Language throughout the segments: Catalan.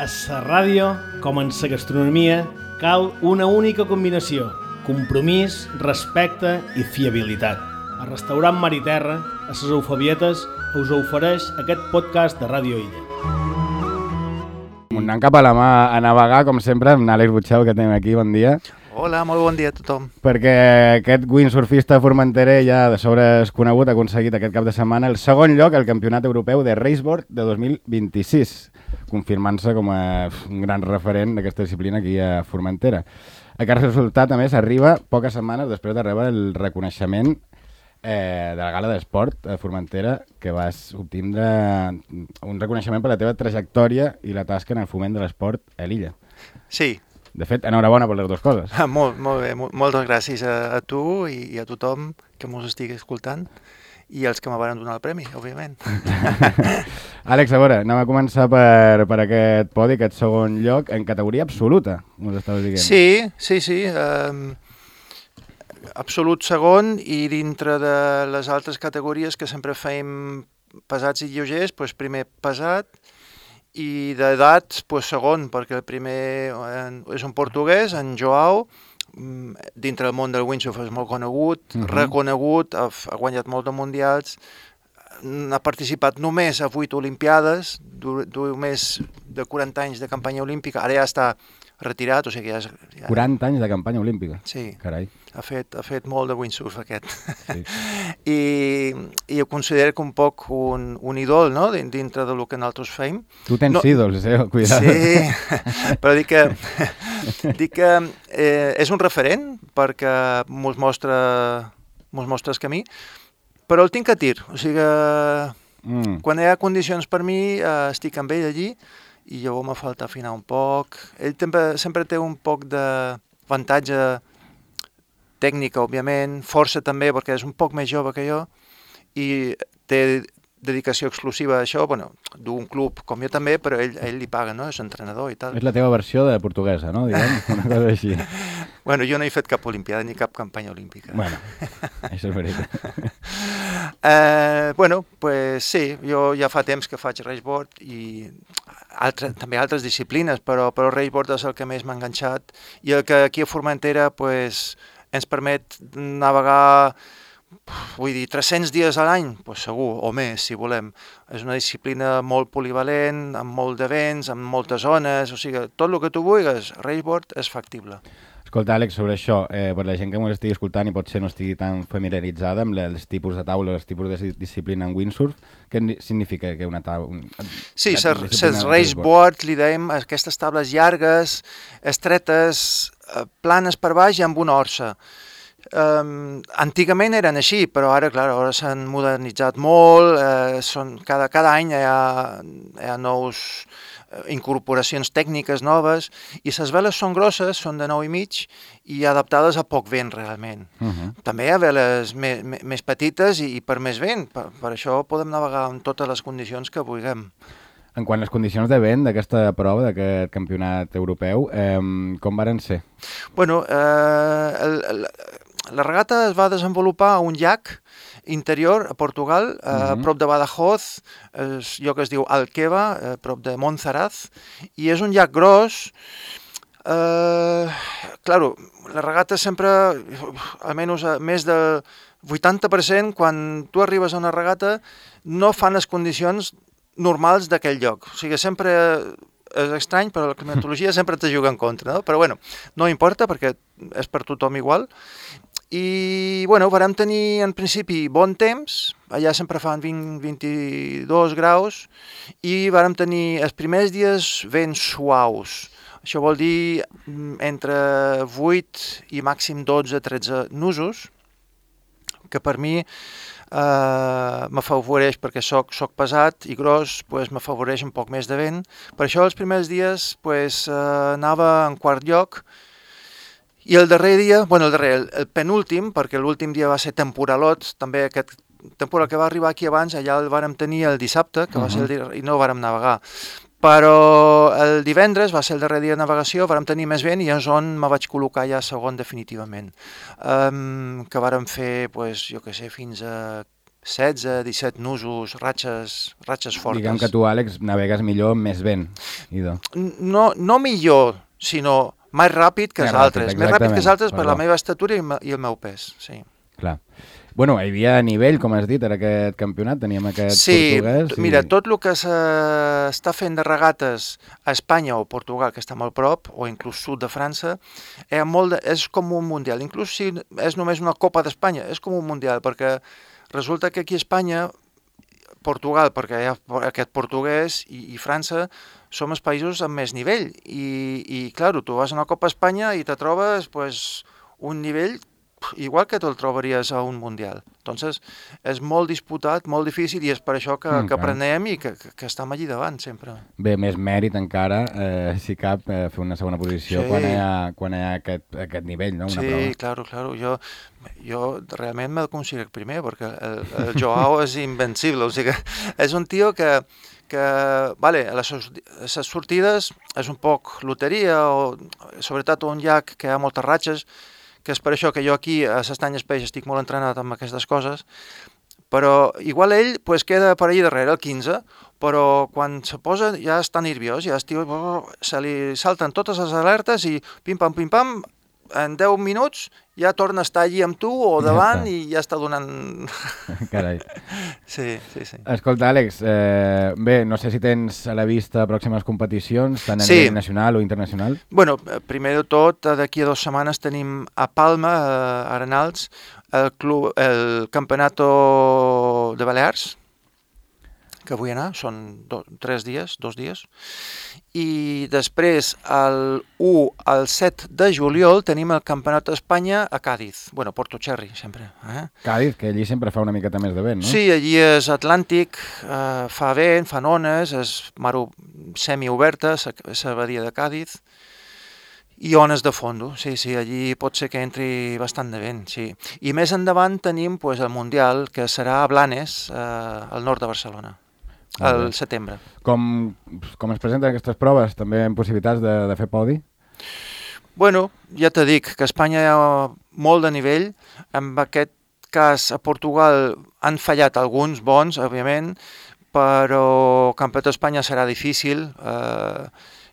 A la ràdio, com en la gastronomia, cal una única combinació: compromís, respecte i fiabilitat. El restaurant Mar i Terra, a les Eufabietes, us ofereix aquest podcast de Ràdio Illa. Anant cap a la mà a navegar, com sempre, amb Àlex Butxau, que tenim aquí. Bon dia. Hola, molt bon dia a tothom. Perquè aquest windsurfista formenterer ja de sobre és conegut, ha aconseguit aquest cap de setmana el segon lloc al Campionat Europeu de Raceboard de 2026, confirmant-se com a un gran referent d'aquesta disciplina aquí a Formentera. Aquest resultat, a més, arriba poques setmanes després de rebre el reconeixement de la Gala d'Esport a Formentera, que vas obtindre un reconeixement per la teva trajectòria i la tasca en el foment de l'esport a l'illa. Sí. De fet, enhorabona per les dues coses. Molt bé, moltes gràcies a tu i a tothom que mos estigui escoltant i els que me van donar el premi, òbviament. Àlex, a veure, anem a començar per aquest podi, aquest segon lloc, en categoria absoluta, us estaves dient. Sí. Absolut segon, i dintre de les altres categories que sempre fèiem pesats i lleugers, doncs primer pesat, i d'edat, doncs segon, perquè el primer és un portuguès, en Joao, dintre del món del windsurf és molt conegut, reconegut, ha guanyat molts de mundials, ha participat només a 8 olimpiades, més de 40 anys de campanya olímpica, ara ja està retirat, o sigui ja... 40 anys de campanya olímpica? Sí. Carai. Ha fet molt de windsurf aquest. Sí. I ho considero un poc un ídol, no?, dintre del que nosaltres fem. Tu tens ídols, cuidado. Sí, però dic que és un referent perquè mos mostra el camí, però el tinc a tir, o sigui, quan hi ha condicions per mi estic amb ell allí i llavors me falta afinar un poc. Ell sempre té un poc d'avantatge tècnica, òbviament, força també, perquè és un poc més jove que jo, i té dedicació exclusiva a això, bueno, d'un club com jo també, però ell li paga, no?, és entrenador i tal. És la teva versió de portuguesa, no?, diguem, una cosa així. Bueno, jo no he fet cap olimpiada ni cap campanya olímpica. Bueno, això és veritat. Bueno, pues sí, jo ja fa temps que faig raceboard i també altres disciplines, però raceboard és el que més m'ha enganxat i el que aquí a Formentera pues, ens permet navegar, vull dir, 300 dies a l'any, pues segur, o més, si volem. És una disciplina molt polivalent, amb molt de vents, amb moltes zones, o sigui, tot el que tu vulguis, raceboard és factible. Escolta, Àlex, sobre això, per la gent que m'ho estigui escoltant i potser no estigui tan familiaritzada amb els tipus de taula, els tipus de disciplina en windsurf, què significa que una taula... Sí, les raceboard, li dèiem, aquestes tables llargues, estretes, planes per baix i amb una orsa. Antigament eren així, però ara, clar, ara s'han modernitzat molt, cada any hi ha nous incorporacions tècniques noves, i les veles són grosses, són de 9,5 i adaptades a poc vent, realment. També hi ha veles més petites i per més vent, per això podem navegar en totes les condicions que vulguem. En quant a les condicions de vent d'aquesta prova, d'aquest campionat europeu, com varen ser? Bueno, la regata es va desenvolupar a un llac interior a Portugal, a prop de Badajoz, és lloc que es diu Alqueva, a prop de Monsaraz, i és un llac gros. Claro, la regata sempre, almenys més del 80%, quan tu arribes a una regata, no fan les condicions normals d'aquell lloc. O sigui, sempre és estrany, però la climatologia sempre te juga en contra, no? Però bueno, no importa perquè és per tothom igual. I bueno, vàrem tenir en principi bon temps, allà sempre fan 20-22 graus, i vàrem tenir els primers dies vents suaus. Això vol dir entre 8 i màxim 12-13 nusos, que per mi m'afavoreix, perquè soc pesat i gros, pues, m'afavoreix un poc més de vent. Per això els primers dies pues, anava en quart lloc, i el darrer dia, bueno, el penúltim, perquè l'últim dia va ser temporalot, també aquest temporal que va arribar aquí abans, allà el vàrem tenir el dissabte, que va ser i no vàrem navegar. Però el divendres va ser el darrer dia de navegació, vàrem tenir més vent i és on me vaig col·locar ja segon definitivament. Que vàrem fer, pues, jo què sé, fins a 16-17 nusos, ratxes fortes. Diguem que tu, Àlex, navegues millor amb més vent. No millor, sinó més ràpid que els altres. Més ràpid que els altres per la meva estatura i el meu pes, sí. Clar. Bueno, hi havia nivell, com has dit, en aquest campionat, teníem aquest portuguès. Sí, mira, tot el que s'està fent de regates a Espanya o Portugal, que està molt prop, o inclús sud de França, és com un mundial. Inclús si és només una Copa d'Espanya, és com un mundial, perquè resulta que aquí a Espanya, Portugal, perquè hi ha aquest portuguès, i França, som els països amb més nivell. I clar, tu vas a una Copa Espanya i te trobes un nivell igual que te'l trobaries a un mundial. Entonces, és molt disputat, molt difícil, i és per això que aprenem i que estem allí davant, sempre. Bé, més mèrit encara, si cap, fer una segona posició quan hi ha aquest nivell, no? Sí, claro. Jo realment me'l considero primer, perquè el Joao és invencible, o sigui, és un tio que vale, les sortides és un poc loteria, o sobretot un llac que hi ha moltes ratxes, que és per això que jo aquí a s'Estany Espeix estic molt entrenat amb aquestes coses, però igual ell queda per allà darrere, el 15, però quan se posa ja està nerviós, ja se li salten totes les alertes i pim-pam, en 10 minuts ja torna a estar allí amb tu o davant i ja està donant... Carai. Sí. Escolta, Àlex, bé, no sé si tens a la vista pròximes competicions, tant a nivell nacional o internacional. Bueno, primer de tot, d'aquí a 2 setmanes tenim a Palma, a Arenals, el Campeonato de Balears, que vull anar, són 2 dies, i després el 1 al 7 de juliol tenim el Campionat d'Espanya a Càdiz, Porto Cherry, sempre. Càdiz, que allí sempre fa una miqueta més de vent, no? Sí, allí és atlàntic, fa vent, fan ones, és mar semioberta, la badia de Càdiz, i ones de fondo, sí, allí pot ser que entri bastant de vent, sí. I més endavant tenim el Mundial, que serà a Blanes, al nord de Barcelona. Al setembre. Com es presenten aquestes proves? També amb possibilitats de fer podi? Bueno, ja t'he dit que a Espanya hi ha molt de nivell. En aquest cas, a Portugal han fallat alguns bons, òbviament, però el Campionat d'Espanya serà difícil.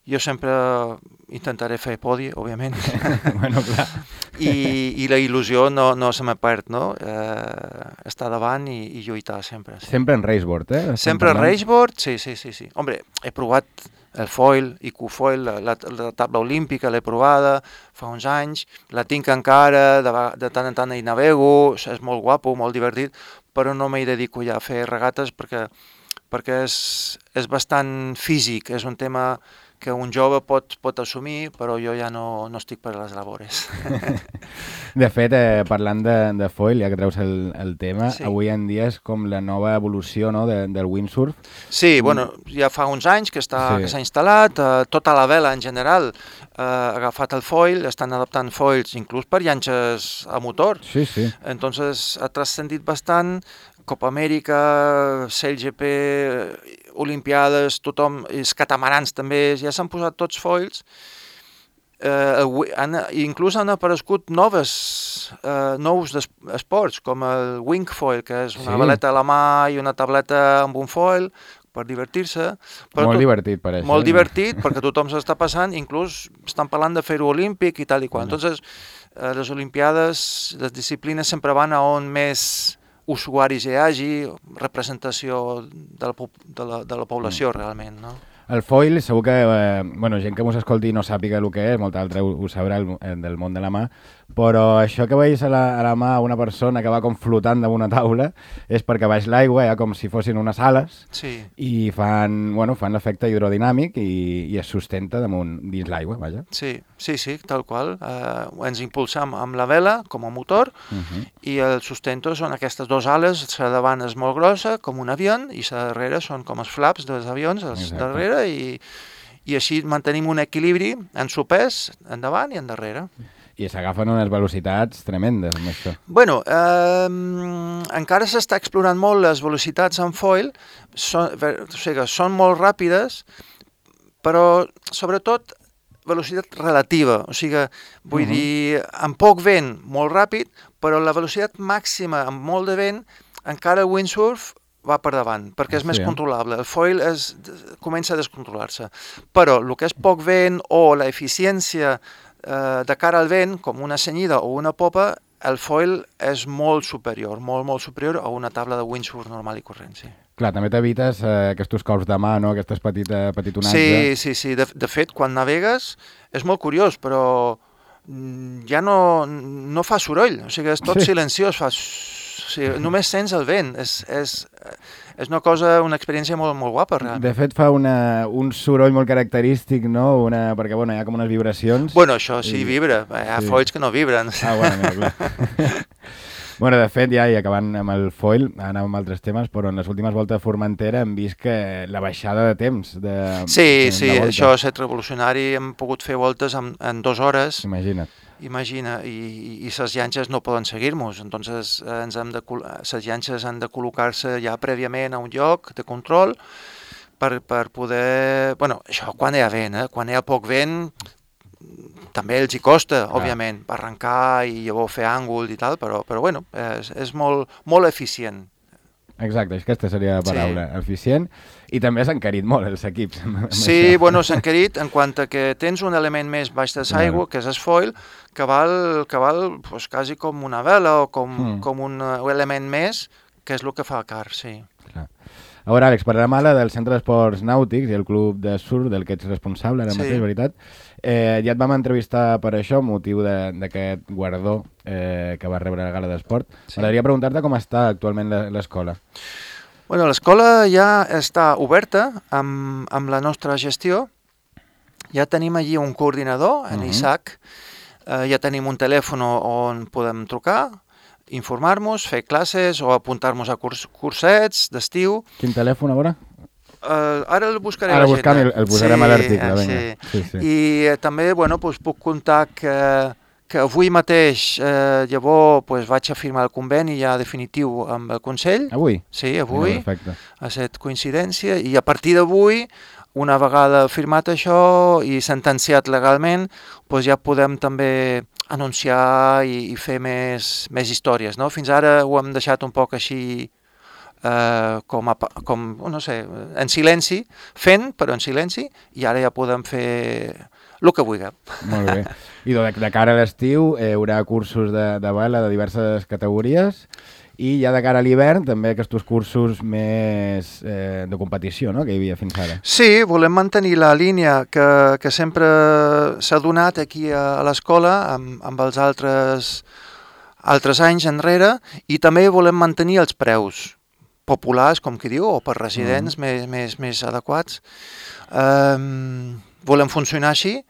Jo sempre intentaré fer podi, òbviament. Bueno, clar. I la il·lusió no se me perd, no? Estar davant i lluitar sempre. Sí. Sempre en raceboard, eh? Sempre en raceboard, sí. Hombre, he provat el foil, IQ-foil, la taula olímpica l'he provada fa uns anys, la tinc encara, de tant en tant hi navego, és molt guapo, molt divertit, però no m'hi dedico ja a fer regates perquè és bastant físic, és un tema que un jove pot assumir, però jo ja no estic per a les labores. De fet, parlant de foil, ja que treus el tema, avui en dia és com la nova evolució, no, del windsurf. Sí, ja fa uns anys que s'ha instal·lat, tota la vela en general ha agafat el foil, estan adaptant foils inclús per llanxes a motor. Sí. Entonces ha transcendit bastant, Copa Amèrica, CLGP, Olimpiades, tothom, els catamarans també, ja s'han posat tots foils, inclús han aparegut nous esports, com el wing foil, que és una veleta a la mà i una tableta amb un foil, per divertir-se. Molt divertit, pareix. Molt divertit, perquè tothom s'està passant, inclús estan parlant de fer-ho olímpic i tal i qual. Entonces, les Olimpiades, les disciplines sempre van a on més usuaris hi hagi, representació de la població realment, no? El foil, segur que gent que mos escolti no sàpiga el que és, molta altra ho sabrà del món de la mà, però això que veus a la mà una persona que va com flotant damunt una taula és perquè baix l'aigua, com si fossin unes ales, i fan l'efecte hidrodinàmic i es sustenta dins l'aigua, vaja. Sí, tal qual. Ens impulsam amb la vela com a motor i el sustento són aquestes 2 ales, la davant és molt grossa, com un avió, i la darrere són com els flaps dels avions, darrere, i així mantenim un equilibri en sopès, endavant i endarrere. I s'agafen unes velocitats tremendes amb això. Bueno, encara s'està explorant molt les velocitats en foil, són molt ràpides, però sobretot velocitat relativa, o sigui, vull dir, amb poc vent molt ràpid, però la velocitat màxima amb molt de vent encara el windsurf va per davant, perquè és més Sí, controlable. El foil comença a descontrolar-se. Però el que és poc vent o la eficiència de cara al vent, com una cenyida o una popa, el foil és molt superior, molt superior a una tabla de windsurf normal i corrent, sí. Clar, també t'evites aquests cops de mà, no? Aquestes petitonatges. Sí. De fet, quan navegues és molt curiós, però ja no fa soroll, o sigui, és tot silenciós, o sigui, només sents el vent, és una experiència molt guapa, realment. De fet, fa un soroll molt característic, no? Perquè, bueno, hi ha com unes vibracions. Bueno, això sí vibra, hi ha foils que no vibren. Bueno, mira, clar. Bueno, de fet, ja, i acabant amb el foil, anàvem amb altres temes, però en les últimes voltes de Formentera hem vist que la baixada de temps de Sí, això ha estat revolucionari, hem pogut fer voltes en 2 hores. Imagina, i les llanxes no poden seguir-nos, entonces les llanxes han de col·locar-se ja prèviament a un lloc de control per poder... Bueno, això quan hi ha vent, quan hi ha poc vent també els hi costa, òbviament, arrencar i llavors fer àngul i tal, però bueno, és molt eficient. Exacte, aquesta seria la paraula, eficient, i també s'han encarit molt els equips. Sí, bueno, s'han encarit en quant a que tens un element més baix de l'aigua, que és el foil, que val pues, quasi com una vela o com un element més, que és el que fa car, sí. Clar. A veure, Àlex, parlem ara del Centre d'Esports Nàutics i el Club de Surf del que ets responsable ara mateix, veritat. Ja et vam entrevistar per això, motiu d'aquest guardó que va rebre la Gala d'Esport. M'agradaria preguntar-te com està actualment l'escola. Bueno, l'escola ja està oberta amb la nostra gestió. Ja tenim allí un coordinador, en Isaac. Ja tenim un telèfon on podem trucar, informar-nos, fer classes o apuntar-nos a cursets d'estiu. Quin telèfon, a veure? Ara el buscaré a l'agenda. Ara el posarem a l'article, vinga. Sí. I també puc contar que avui mateix llavors vaig a firmar el conveni ja definitiu amb el Consell. Avui? Sí, avui. Perfecte. Ha estat coincidència i a partir d'avui, una vegada firmat això i sentenciat legalment, ja podem també anunciar i fer més històries, no? Fins ara ho hem deixat un poc així no sé, en silenci, però en silenci, i ara ja podem fer el que vulguem. Molt bé. I de cara a l'estiu hi haurà cursos de vela de diverses categories i ja de cara a l'hivern també aquests cursos més de competició, no?, que hi havia fins ara. Sí, volem mantenir la línia que sempre s'ha donat aquí a l'escola amb els altres anys enrere, i també volem mantenir els preus populars, com qui diu, o per residents més adequats. Volem funcionar així,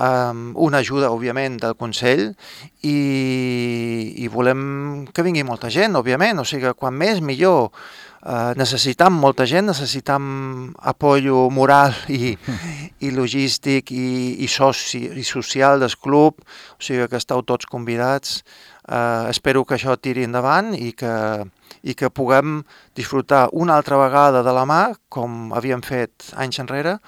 una ajuda, òbviament, del Consell, i volem que vingui molta gent, òbviament, o sigui, quan més millor. Necessitam molta gent, necessitam apoyo moral i logístic i social del club, o sigui que esteu tots convidats. Espero que això tiri endavant i que puguem disfrutar una altra vegada de la mà, com havíem fet anys enrere.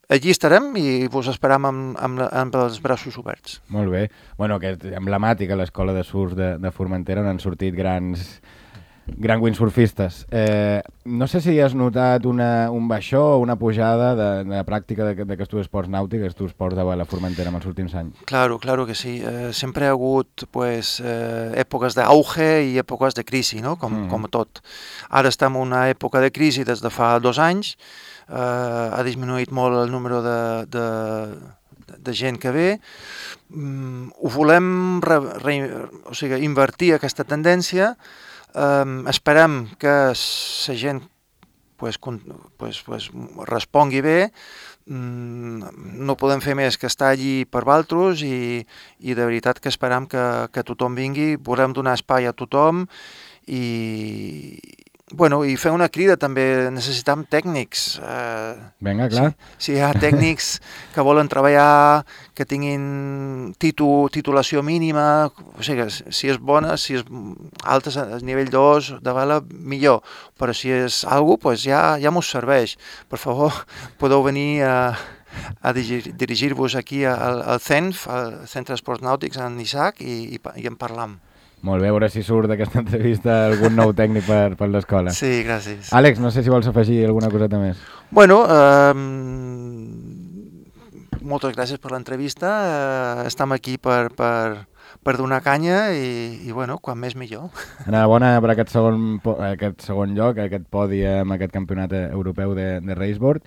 Allí estarem i vos esperam amb els braços oberts. Molt bé. Bueno, que és emblemàtica l'escola de surf de Formentera, on han sortit grans windsurfistes. No sé si has notat un baixó o una pujada de la pràctica d'aquests esports nàutics, aquests esports de vela a Formentera en els últims anys. Claro que sí. Sempre hi ha hagut èpoques d'auge i èpoques de crisi, no? Com tot. Ara estem en una època de crisi des de fa 2 anys. Ha disminuït molt el número de gent que ve. Ho volem invertir aquesta tendència. Esperem que la gent respongui bé. No podem fer més que estar allí per vosaltres i de veritat que esperem que tothom vingui. Volem donar espai a tothom i fer una crida també. Necessitem tècnics. Vinga, clar. Si hi ha tècnics que volen treballar, que tinguin titulació mínima, o sigui, si és bona, si és alta, a nivell 2 de vela, millor. Però si és alguna cosa, ja mos serveix. Per favor, podeu venir a dirigir-vos aquí al CENF, al Centre d'Esports Nàutics, en Isaac, i en parlam. Molt bé, a veure si surt d'aquesta entrevista algun nou tècnic per l'escola. Sí, gràcies. Àlex, no sé si vols afegir alguna coseta més. Bueno, moltes gràcies per l'entrevista. Estem aquí per donar canya i bueno, quan més millor. Enhorabona per aquest segon lloc, aquest podi amb aquest campionat europeu de raceboard.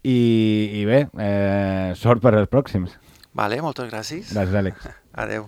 I bé, sort per als pròxims. Vale, moltes gràcies. Gràcies, Àlex. Adeu.